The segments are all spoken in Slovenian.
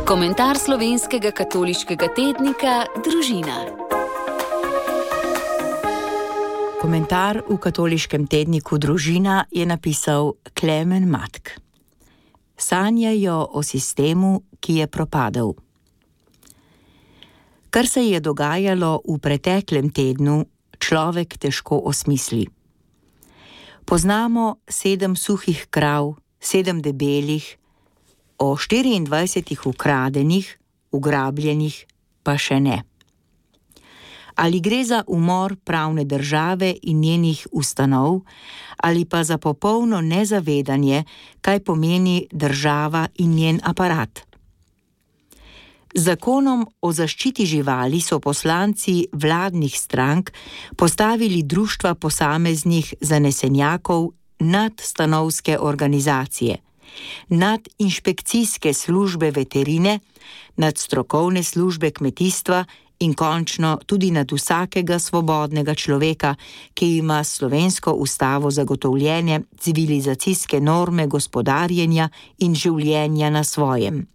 Komentar slovenskega katoliškega tednika Družina. Komentar v katoliškem tedniku Družina je napisal Klemen Matk. Sanjajo o sistemu, ki je propadel. Kar se je dogajalo v preteklem tednu, človek težko osmisli. Poznamo 7 suhih krav, 7 debelih, o 24 ukradenih, ugrabljenih pa še ne. Ali gre za umor pravne države in njenih ustanov, ali pa za popolno nezavedanje, kaj pomeni država in njen aparat. Z zakonom o zaščiti živali so poslanci vladnih strank postavili društva posameznih zanesenjakov nad stanovske organizacije, nad inšpekcijske službe veterine, nad strokovne službe kmetijstva in končno tudi nad vsakega svobodnega človeka, ki ima slovensko ustavo zagotovljene civilizacijske norme gospodarjenja in življenja na svojem.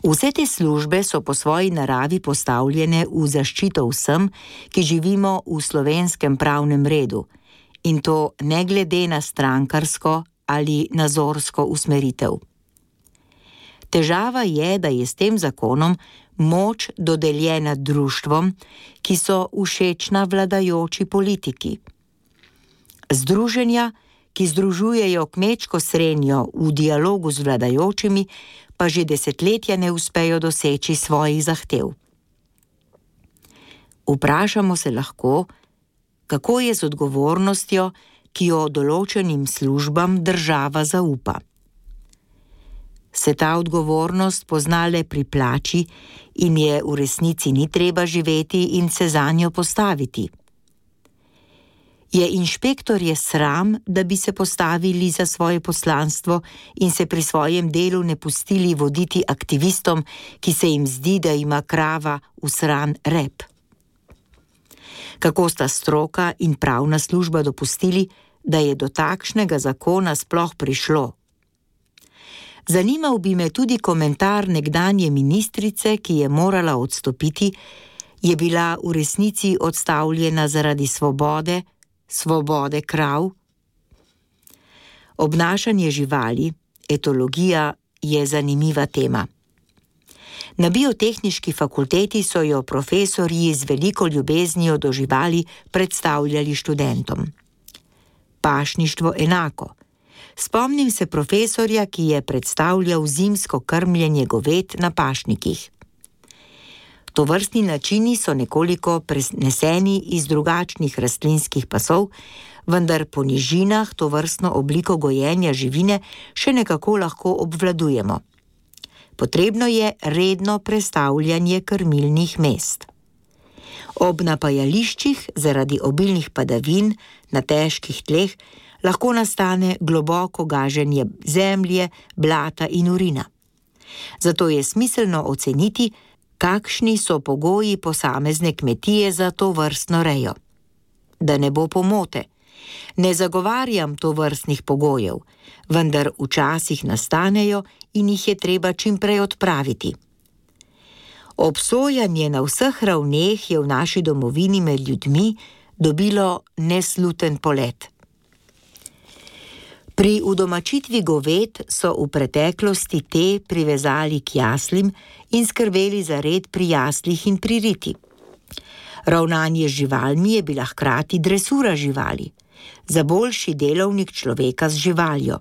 Vse te službe so po svoji naravi postavljene v zaščito vsem, ki živimo v slovenskem pravnem redu, in to ne glede na strankarsko ali nazorsko usmeritev. Težava je, da je s tem zakonom moč dodeljena društvom, ki so všečna vladajoči politiki. Združenja, ki združujejo kmečko srenjo v dialogu z vladajočimi, pa že desetletja ne uspejo doseči svojih zahtev. Vprašamo se lahko, kako je z odgovornostjo, ki jo določenim službam država zaupa. Se ta odgovornost pozna le pri plači in je v resnici ni treba živeti in se zanjo postaviti? Je inšpektorje sram, da bi se postavili za svoje poslanstvo in se pri svojem delu ne pustili voditi aktivistom, ki se jim zdi, da ima krava usran rep? Kako sta stroka in pravna služba dopustili, da je do takšnega zakona sploh prišlo? Zanimal bi me tudi komentar nekdanje ministrice, ki je morala odstopiti, je bila v resnici odstavljena zaradi svobode krav. Obnašanje živali, etologija, je zanimiva tema. Na biotehniški fakulteti so jo profesorji z veliko ljubeznijo do živali predstavljali študentom. Pašništvo enako. Spomnim se profesorja, ki je predstavljal zimsko krmljenje goved na pašnikih. Tovrstni načini so nekoliko preneseni iz drugačnih rastlinskih pasov, vendar po nižinah tovrstno obliko gojenja živine še nekako lahko obvladujemo. Potrebno je redno prestavljanje krmilnih mest. Ob napajališčih zaradi obilnih padavin na težkih tleh lahko nastane globoko gaženje zemlje, blata in urina. Zato je smiselno oceniti, kakšni so pogoji posamezne kmetije za to vrstno rejo. Da ne bo pomote, ne zagovarjam tovrstnih pogojev, vendar včasih nastanejo in jih je treba čim prej odpraviti. Obsojanje na vseh ravneh je v naši domovini med ljudmi dobilo nesluten polet. Pri udomačitvi goved so v preteklosti te privezali k jaslim in skrbeli za red pri jaslih in pri riti. Ravnanje z živalmi je bila hkrati dresura živali, za boljši delovnik človeka z živaljo.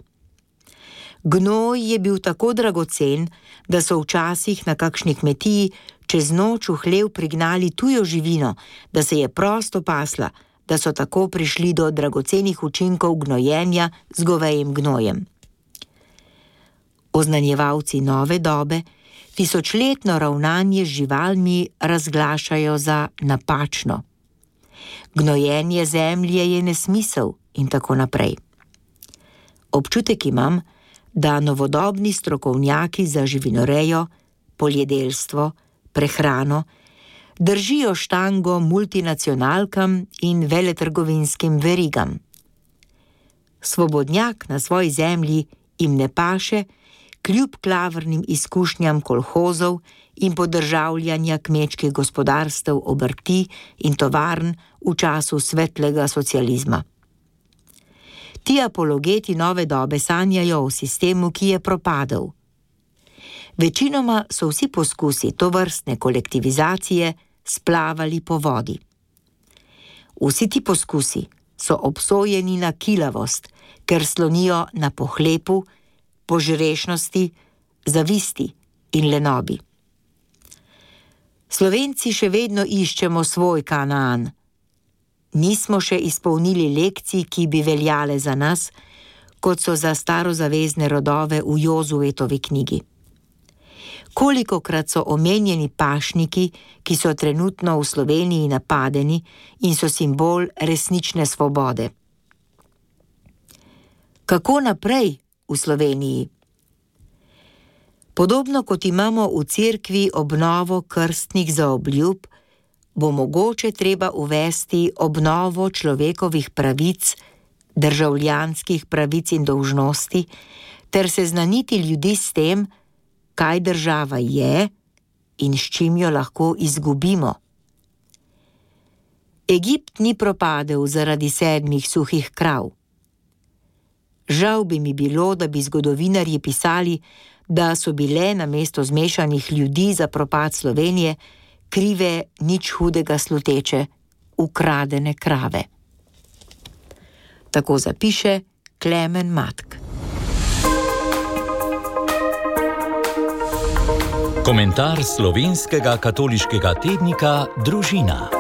Gnoj je bil tako dragocen, da so včasih na kakšni kmetiji čez noč v hlev prignali tujo živino, da se je prosto pasla, da so tako prišli do dragocenih učinkov gnojenja z govejim gnojem. Oznanjevalci nove dobe tisočletno ravnanje z živalmi razglašajo za napačno. Gnojenje zemlje je nesmisel in tako naprej. Občutek imam, da novodobni strokovnjaki za živinorejo, poljedelstvo, prehrano držijo štango multinacionalkam in veletrgovinskim verigam. Svobodnjak na svoji zemlji jim ne paše, kljub klavrnim izkušnjam kolhozov in podržavljanja kmečkih gospodarstev, obrti in tovarn v času svetlega socializma. Ti apologeti nove dobe sanjajo o sistemu, ki je propadel. Večinoma so vsi poskusi tovrstne kolektivizacije splavali po vodi. Vsi ti poskusi so obsojeni na kilavost, ker slonijo na pohlepu, požrešnosti, zavisti in lenobi. Slovenci še vedno iščemo svoj Kanaan. Nismo še izpolnili lekcij, ki bi veljale za nas, kot so za starozavezne rodove v Jozuetovi knjigi. Kolikokrat so omenjeni pašniki, ki so trenutno v Sloveniji napadeni in so simbol resnične svobode. Kako naprej v Sloveniji? Podobno kot imamo v cerkvi obnovo krstnih zaobljub, bo mogoče treba uvesti obnovo človekovih pravic, državljanskih pravic in dolžnosti, ter seznaniti ljudi s tem, kaj država je in s čim jo lahko izgubimo. Egipt ni propadel zaradi 7 suhih krav. Žal bi mi bilo, da bi zgodovinarji pisali, da so bile namesto zmešanih ljudi za propad Slovenije krive nič hudega sluteče, ukradene krave. Tako zapiše Klemen Matk. Komentar slovenskega katoliškega tednika Družina.